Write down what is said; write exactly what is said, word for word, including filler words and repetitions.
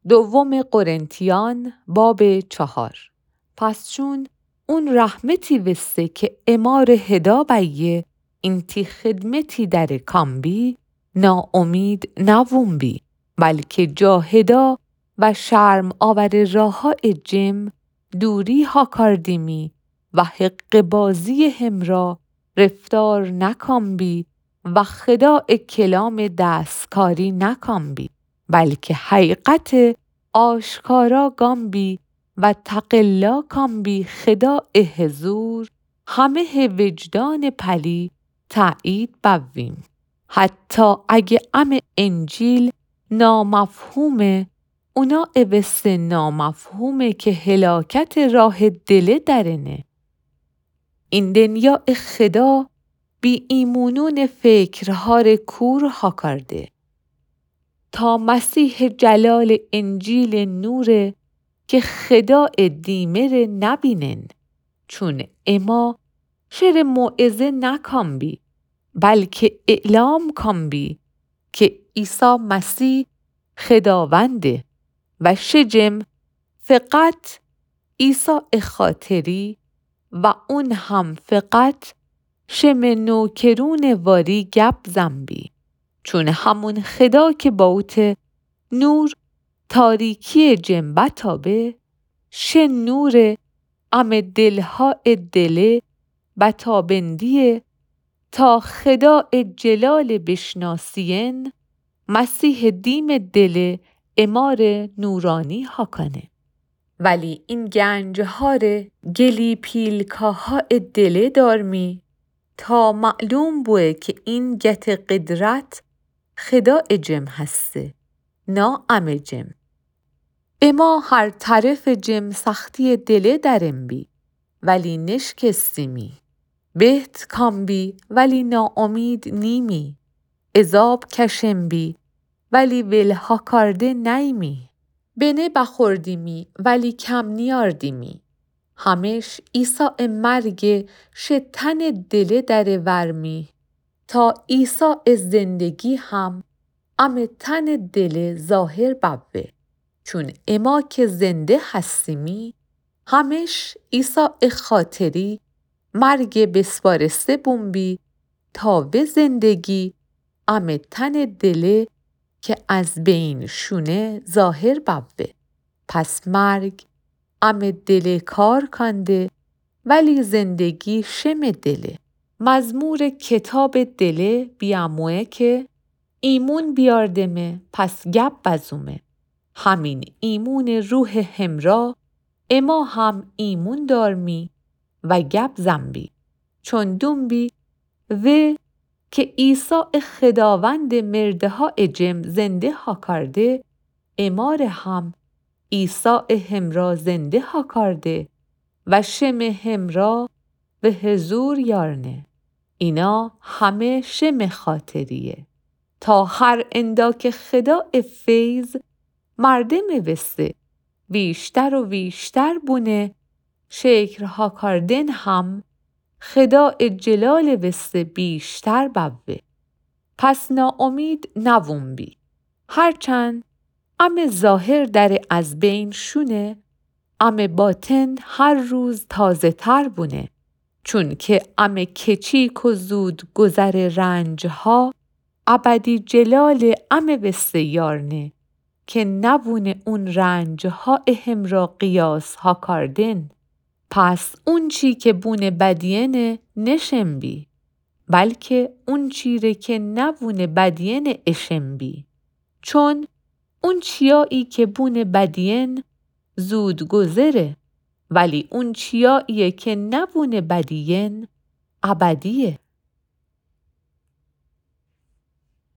دوم قرنتیان باب چهار. پس چون اون رحمتی وسه که امار هدا بیه، اینتی خدمتی دره کام بی، ناامید نوون بی، بلکه جا هدا و شرم آور راها جم دوری ها کاردیمی و حقه‌بازی همرا رفتار نکام بی و خدا کلام دستکاری نکام بی، بلکه حقیقت آشکارا گام بی و تقلا کام بی خدا حضور همه وجدان پلی تأیید بویم. حتی اگه ام انجیل نامفهومه، اونا وسه نامفهومه که هلاکت راه دله درنه. این دنیا خدا بی ایمونون فکرهار کور ها کارده. تا مسیح جلال انجیل نوره که خدا دیمه ره نبینن. چون اما شعر موعظه نکام بی، بلکه اعلام کام بی که عیسی مسیح خداونده و شجم فقط عیسی خاطری و اون هم فقط شم نوکرون واری گپ زن بی. چون همون خدا که باوت نور تاریکی جم بتابه، شه نور ام دلها دله بتابندیه تا خدا جلال بشناسین مسیح دیم دل امار نورانی ها کنه. ولی این گنجهار گلی پیلکاها دله دارمی تا معلوم بوه که این گت قدرت خدا جم هسته، نا ام جم. اما هر طرف جم سختی دله درم بی، ولی نشکستیمی. بهت کام بی، ولی ناامید نیمی. عذاب کشم بی، ولی ول ها کارده نیمی. بنه بخوردیمی، ولی کم نیاردیمی. همش عیسی مرگ شه تن دله دره ورمی، تا عیسی زندگی هم ام تن دله ظاهر بوه. چون اما که زنده هستیمی، همش عیسی خاطری مرگ بسپارسته بوم بی تا و زندگی ام تن دله که از بین شونه ظاهر بوه. پس مرگ ام دله کار کنده، ولی زندگی شم دله. مزمور کتاب دله بیاموه که ایمون بیاردمه، پس گپ بزومه. همین ایمون روح همرا اما هم ایمون دارمی و گپ زن بی. چون دون بی و که عیسی خداوند مرده ها جم زنده ها کارده، امار هم عیسی همرا زنده ها کارده و شم همرا و حضور یارنه. اینا همه شم خاطریه. تا هر اندا که خدا فیض مردم وسه ویشتر و ویشتر بونه، شکر ها کاردن هم خدا جلال وسه بیشتر بوه. پس ناامید نوون بی. هرچند ام ظاهر دره از بین شونه، ام باطن هر روز تازه تر بونه. چون که ام کچیک و زود گذر رنج ها ابدی جلال ام وسه یارنه که نوون اون رنج ها همرا قیاس ها کاردن. پس اون چی که بون بدینه نشم بی، بلکه اون چی ره که نوون بدینه اشم بی. چون اون چیایی که بون بدین زود گذره، ولی اون چیایی که نوون بدین ابدیه.